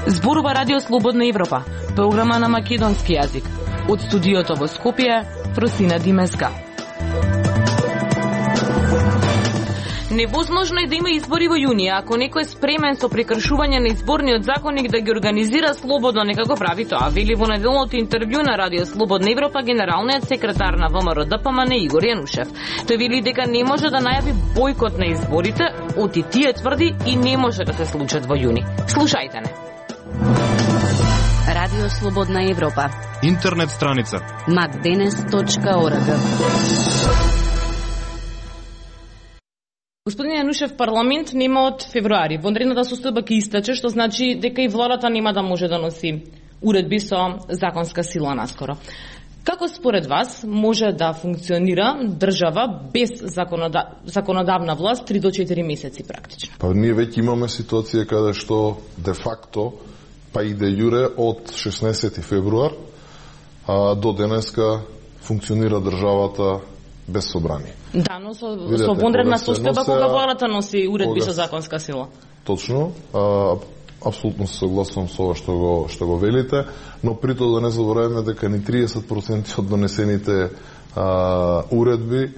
Зборува Радио Слободна Европа, програма на македонски јазик. Од студиото во Скопје, Фросина Димеска. Невозможно е да има избори во јуни, ако некој е спремен со прекршување на изборниот законник да ги организира слободно, нека го прави тоа, вели во неделното интервју на Радио Слободна Европа генералниот секретар на ВМРО-ДПМН Игор Јанушев. Тој вели дека не може да најави бојкот на изборите, оти тие тврди и не може да се случат во јуни. Слушајте не. Радио Слободна Европа. Интернет страница macdenes.org. Господин Јанушев, парламент нема од февруари. Вонредната состојба ќе истече, што значи дека и владата нема да може да носи уредби со законска сила наскоро. Како според вас може да функционира држава без законодавна власт 3 до 4 месеци практично? Па ние веќе имаме ситуација каде што де факто па и де јуре од 16 февруар до денеска функционира државата без собрание. Да, но со вонредна состојба кога владата носи уредби со законска сила. Точно, апсолутно се согласувам со ова што го велите, но при тоа да не забораваме дека ни 30% од донесените уредби,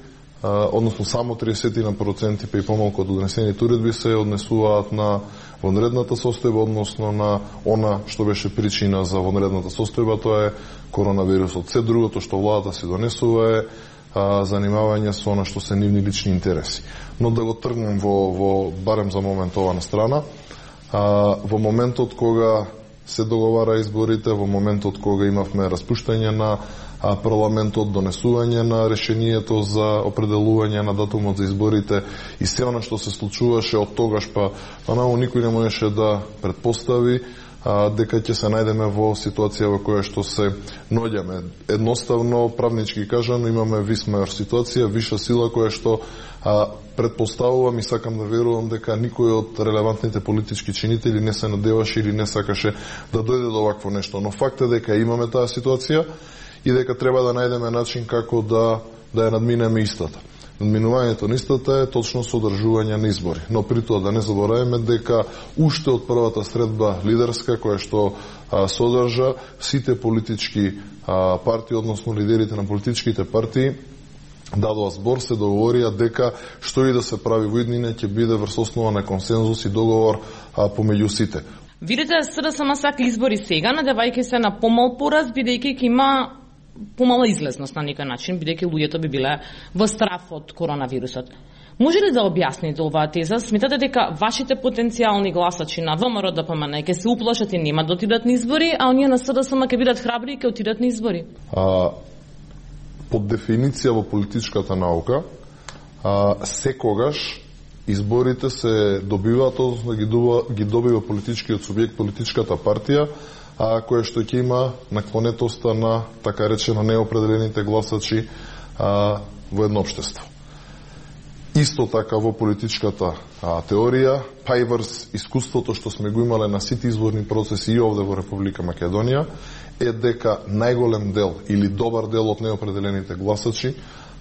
односно само 30% па и помалку од донесените уредби се однесуваат на вонредната состојба, односно на она што беше причина за вонредната состојба, тоа е коронавирусот. Се другото што владата се донесува е занимавање со она што се нивни лични интереси. Но да го тргнем во барем за момент ова на страна, во моментот кога се договара изборите, во моментот кога имавме распуштање на парламентот, донесување на решението за определување на датумот за изборите и се она што се случуваше од тогаш па најмалку никој не можеше да предпостави дека ќе се најдеме во ситуација во која што се наоѓаме. Едноставно, правнички кажано, имаме висмејор ситуација, виша сила која што предпоставувам и сакам да верувам дека никој од релевантните политички чинители не се надеваше или не сакаше да дојде до овакво нешто. Но факт е дека имаме таа ситуација и дека треба да најдеме начин како да ја надминеме истата. Надминувањето на истата е точно содржување на избори. Но при тоа да не забораваме дека уште од првата средба лидерска која што содржа сите политички партии, односно лидерите на политичките партии, дадоа збор, се договорија дека што и да се прави во иднина ќе биде врз основа на консензус и договор помеѓу сите. Видите, СДСМ сака избори сега, надевајќи се на помал пораз, бидејќи ќе има помала излезност на некој начин, бидејќи луѓето би биле во страф од коронавирусот. Може ли да објасните оваа теза? Сметате дека вашите потенцијални гласачи на ВМРО-ДПМН ќе се уплашат и нема да отидат на избори, а оние на СДСМ ќе бидат храбри и ќе отидат на избори? Под дефиниција во политичката наука, секогаш изборите се добиваат, односно ги добива политичкиот субјект, политичката партија, која што ќе има наклонетоста на, така речено, неопределените гласачи во едно општество. Исто така во политичката теорија, па и врз искуството што сме го имале на сите изборни процеси и овде во Република Македонија, е дека најголем дел или добар дел од неопределените гласачи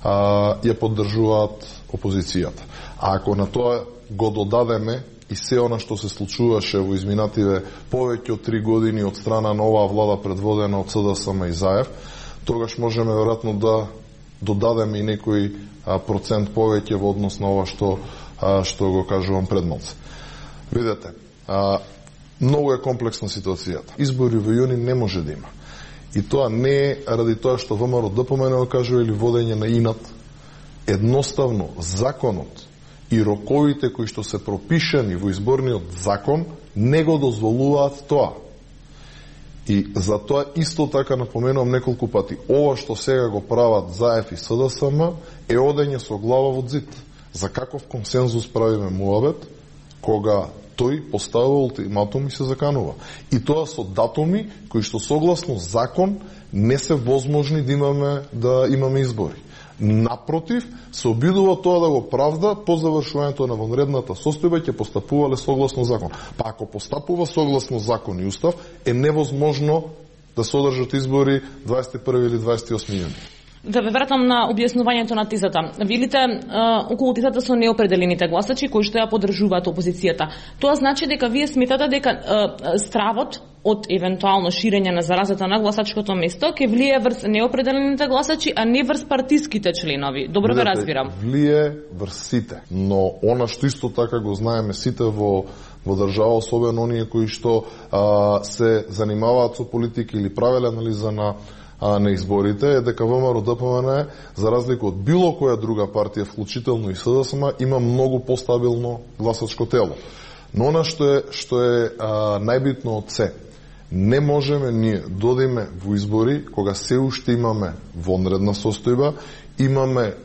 ја поддржуваат опозицијата. А ако на тоа го додадеме и се она што се случуваше во изминативе повеќе од 3 години од страна на оваа влада предводена од СДСМ и ЗАЕВ, тогаш можеме веројатно да додадеме и некој процент повеќе во однос на ова што го кажувам пред малце. Видете, многу е комплексна ситуацијата. Избори во јуни не може да има. И тоа не е ради тоа што ВМРО-ДПМН го кажува или водење на инат. Едноставно, законот и роковите кои што се пропишани во изборниот закон не го дозволуваат тоа. И за тоа исто така напоменувам неколку пати, ова што сега го прават ЗАЕФ и СДСМ е одење со глава во зид. За каков консензус правиме муабет, кога тој поставува ултиматум и се заканува. И тоа со датуми кои што согласно закон не се возможни да имаме избори. Напротив, се обидува тоа да го правда по завршувањето на вонредната состојба ќе постапувале согласно закон. Па ако постапува согласно закон и устав, е невозможно да се одржат избори 21 или 28 јуни. Да ве вратам на објаснувањето на тезата. Велите околу тезата со неопределените гласачи кои што ја поддржуваат опозицијата. Тоа значи дека вие сметате дека стравот од евентуално ширење на заразата на гласачкото место ќе влие врз неопределените гласачи, а не врз партиските членови. Добро ве разбирам. Влие врз сите, но она што исто така го знаеме сите во држава, особено оние кои што се занимаваат со политика или правеле анализа на изборите, е дека ВМРО-ДПМН, за разлика од било која друга партија, вклучително и СДСМ, има многу постабилно гласачко тело. Но она што е најбитно од се, не можеме ние додиме во избори кога се уште имаме вонредна состојба, имаме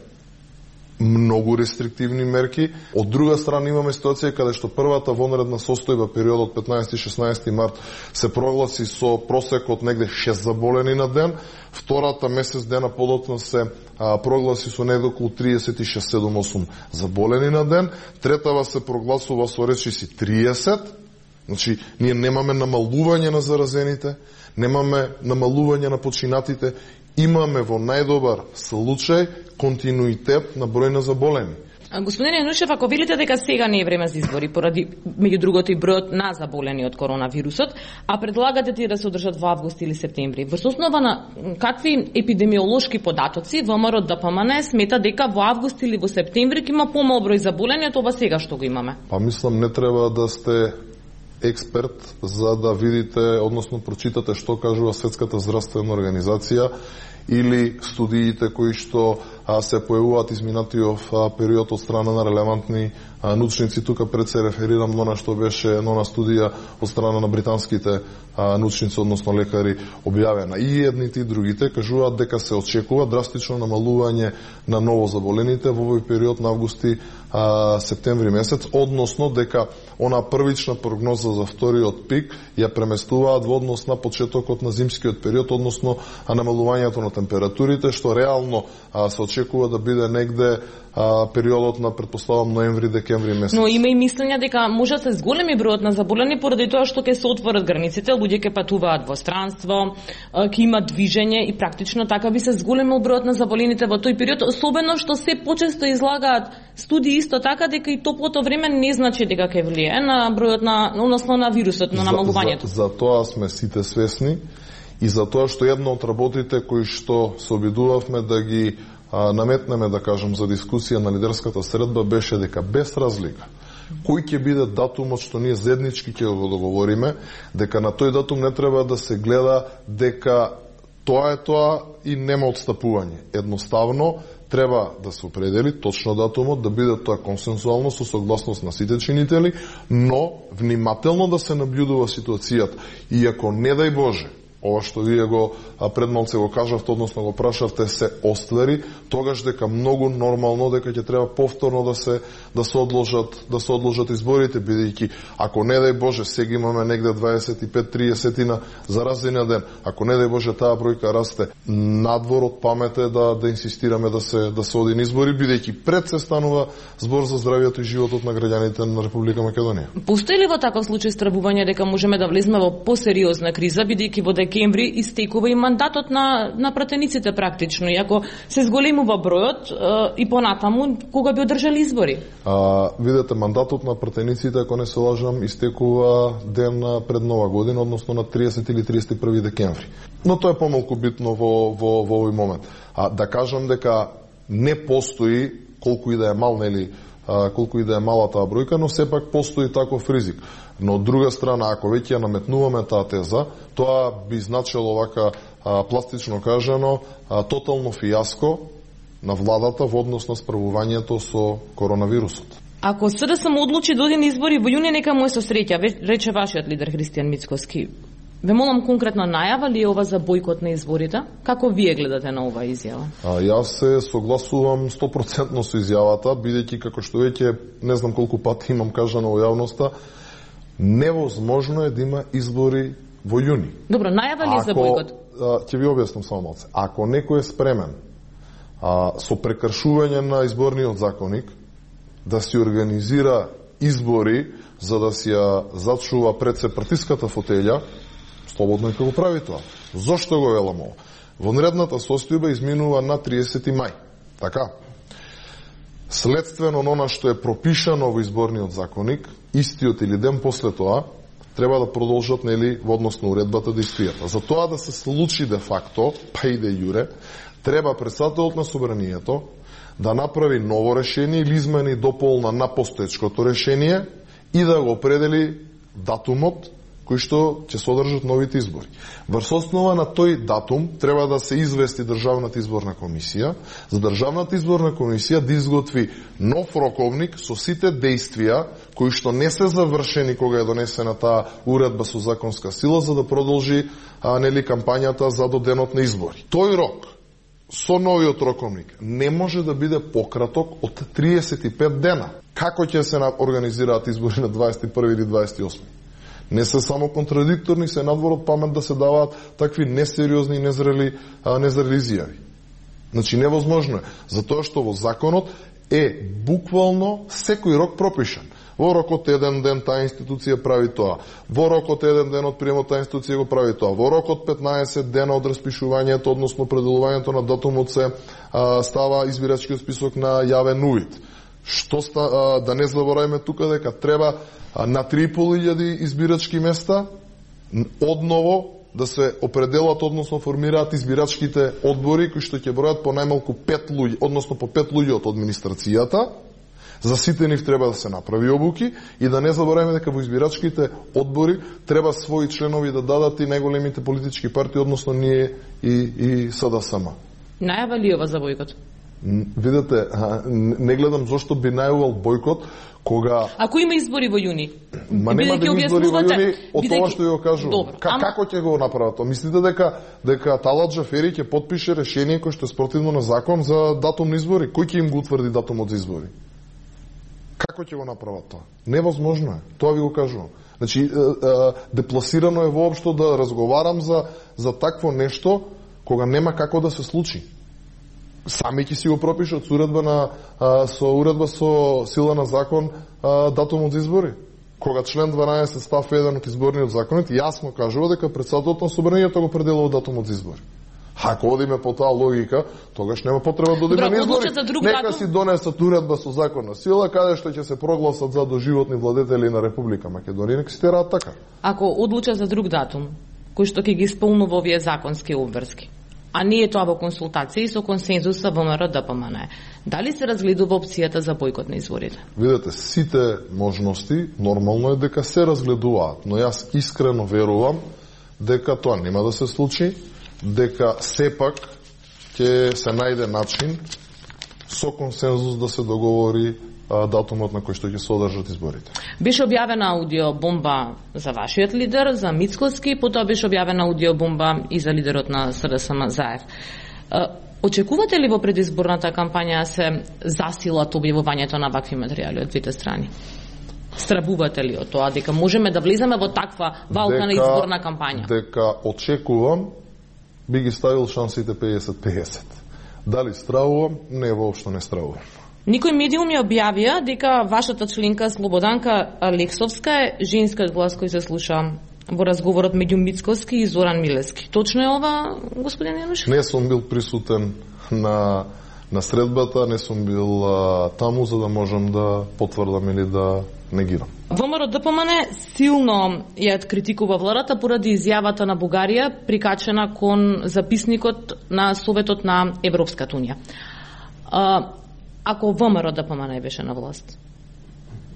многу рестриктивни мерки. Од друга страна имаме ситуација каде што првата вонредна состојба, периодот 15-16 март, се прогласи со просек од негде 6 заболени на ден, втората месец дена подоцна се прогласи со негде околу 36-7-8 заболени на ден, третава се прогласува со речиси 30, значи ние немаме намалување на заразените, немаме намалување на починатите, имаме во најдобар случај континуитет на број на заболени. Господине Янушев, ако велите дека сега не е време за избори, поради меѓу другото и бројот на заболени од коронавирусот, а предлагате тие да се одржат во август или септември, врз основа на какви епидемиолошки податоци ВМРО-ДПМН смета дека во август или во септември ќе има помал број заболени од ова сега што го имаме? Па мислам не треба да сте експерт за да видите, односно прочитате што кажува Светската здравствена организација или студиите кои што се појавуваат изминатиот период од страна на релевантни научници. Тука пред се реферирам на она што беше на студија од страна на британските научници, односно лекари, објавена. И едните и другите кажуваат дека се очекува драстично намалување на новозаболените во овој период на августи септември месец, односно дека она првична прогноза за вториот пик ја преместуваат во однос на почетокот на зимскиот период, односно намалувањето на температурите, што реално се очекува да биде негде периодот на, предпоставам, ноември-декември месец. Но има и мислење дека може да се зголеми бројот на заболени поради тоа што ќе се отворат границите, луѓе ќе патуваат во странство, ќе има движење и практично така би се зголемил бројот на заболените во тој период, особено што се почесто излагаат студии исто така дека и топлото време не значи дека ќе влие на бројот на, односно на вирусот, на намалувањето. За тоа сме сите свесни и за тоа што една од работите кои што се обидувавме да ги наметнеме, да кажем, за дискусија на лидерската средба беше дека без разлика кој ќе биде датумот што ние заеднички ќе го договориме, дека на тој датум не треба да се гледа дека тоа е тоа и нема отстапување. Едноставно треба да се определи точно датумот, да биде тоа консенсуално со согласност на сите чинители, но внимателно да се наблюдува ситуацијата. И ако не дај Боже, ова што вие го предмалце го кажавте, односно го прашавте, се оствари, тогаш дека многу нормално дека ќе треба повторно да се одложат изборите, бидејќи ако не дај Боже сега имаме негде 25-30 на заразени на ден, ако не дај Боже таа бројка расте, надвор од памет е да инсистираме да се оди на избори, бидејќи пред се станува збор за здравието и животот на граѓаните на Република Македонија. Постои ли во таков случај стравување дека можеме да влеземе во посериозна криза, бидејќи во декември истекува и мандатот на пратениците практично, и ако се зголемува бројот и понатаму, кога би одржали избори? Видете, мандатот на пратениците, ако не се лажам, истекува ден пред Нова година, односно на 30 или 31 декември. Но тоа е помалку битно во овој момент. Да кажам дека не постои, колку и да е мал, нели, колку и да е мала таа бројка, но сепак постои таков ризик. Но од друга страна, ако веќе ја наметнуваме таа теза, тоа би значило вака пластично кажано тотално фијаско на владата во однос на справувањето со коронавирусот. Ако СДСМ одлучи да оди на избори во јуни, нека му е со среќа, рече вашиот лидер Христијан Мицкоски. Ве молам конкретно, најава ли е ова за бојкот на изборите? Како вие гледате на оваа изјава? Јас се согласувам 100% со изјавата, бидејќи како што веќе не знам колку пати имам кажано во јавноста, невозможно е да има избори во јуни. Добро, најава ли е за бојкот? Ќе ви објаснам само малце. Ако некој е спремен со прекршување на изборниот законник да си организира избори за да си ја зачува пред се партиската фотелја, слободно ќе го прави тоа. Зошто го велам ова? Вонредната состојба изминува на 30 мај. Така? Следствено на она што е пропишано во изборниот законник, истиот или ден после тоа, треба да продолжат, нели, во однос на уредбата действијата. За тоа да се случи де факто, па и де јуре, треба председателот на собранието да направи ново решение или измени и дополна на постоечкото решение и да го определи датумот кој што ќе содржат новите избори. Врз основа на тој датум треба да се извести Државната изборна комисија, за Државната изборна комисија да изготви нов роковник со сите действија кои што не се завршени кога е донесена таа уредба со законска сила, за да продолжи нели кампањата за до денот на избори. Тој рок со новиот роковник не може да биде пократок од 35 дена. Како ќе се организираат избори на 21 или 28? Не се само контрадикторни, се надвор од памет да се даваат такви несериозни и незрели изјави. Значи, невозможно е. Затоа што во законот е буквално секој рок пропишан. Во рокот еден ден таа институција прави тоа. Во рокот еден ден од приемот таа институција го прави тоа. Во рокот 15 дена од распишувањето, односно определувањето на датумот се става избирачкиот список на јавен увид. Да не забораваме тука дека треба на 3.500 избирачки места одново да се определат, односно формираат избирачките одбори кои што ќе бројат по најмалку 5 луѓе, односно по 5 луѓе од администрацијата. За сите нив треба да се направи обуки и да не забораваме дека во избирачките одбори треба своји членови да дадат и најголемите политички партии, односно ние и СДСМ. Најава ли ова за бојкот? Видете, не гледам зошто би најувал бојкот кога... Ако има избори во јуни? Ма нема да избори во јуни, од тоа што ја кажувам. Како ќе го направат тоа? Мислите дека Талат Джафери ќе потпише решение кој што е спротивно на закон за датум на избори? Кој ќе им го утврди датумот за избори? Како ќе го направат тоа? Невозможно е. Тоа ви го кажувам. Значи, депласирано е воопшто да разговарам за такво нешто кога нема како да се случи. Сами ќе си го пропишат со уредба со сила на закон датумот за избори. Кога член 12 став 1 од изборниот законот јасно кажува дека председателот на собранието го определува датумот за избори. Ако одиме по таа логика, тогаш нема потреба да одиме на избори. Нека си донесат уредба со законна сила каде што ќе се прогласат за доживотни владетели на Република Македонија, нека си тераат така. Ако одлучат за друг датум, кој што ќе ги исполнува овие законски обврски, а не е тоа во консултации со консензуса ВМРО ДПМН, дали се разгледува опцијата за бојкот на изборите? Видете, сите можности нормално е дека се разгледуваат, но јас искрено верувам дека тоа нема да се случи, дека сепак ќе се најде начин со консензус да се договори датумот на кој што ќе содржат изборите. Беше објавена аудиобомба за вашиот лидер, за Мицкоски, потоа беше објавена аудиобомба и за лидерот на СДСМ Заев. Очекувате ли во предизборната кампања се засилат објавувањето на вакви материјали од двете страни? Страбувате ли од тоа дека можеме да влеземе во таква валка на изборна кампања? Дека очекувам, би ги ставил шансите 50-50. Дали стравувам? Не, воопшто не стравувам. Никој медиуми објавија дека вашата членка Слободанка Алексовска е женскиот глас кој се слуша во разговорот меѓу Мицкоски и Зоран Милески. Точно е ова, господин Јанушев? Не сум бил присутен на средбата, не сум бил таму за да можам да потврдам или да негирам. ВМРО ДПМН силно ја критикува владата поради изјавата на Бугарија прикачена кон записникот на Советот на Европската унија. Ако ВМРО ДПМН беше на власт,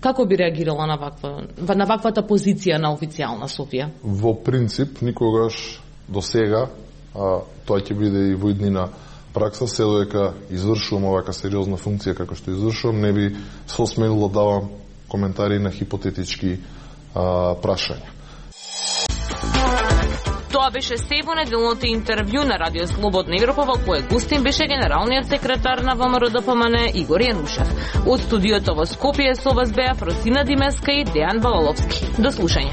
како би реагирала на ваквата позиција на официјална Софија? Во принцип, никогаш до сега, тоа ќе биде и во иднина пракса, се додека извршувам овака сериозна функција како што извршувам, не би се осмелил да давам коментари на хипотетички прашања. Тоа беше се во неделното интервју на Радио Слободна Европа, во кое гостин беше генералниот секретар на ВМРО ДПМН Игор Јанушев. Од студиото во Скопје со вас беа Фросина Димеска и Дејан Балаловски. До слушање.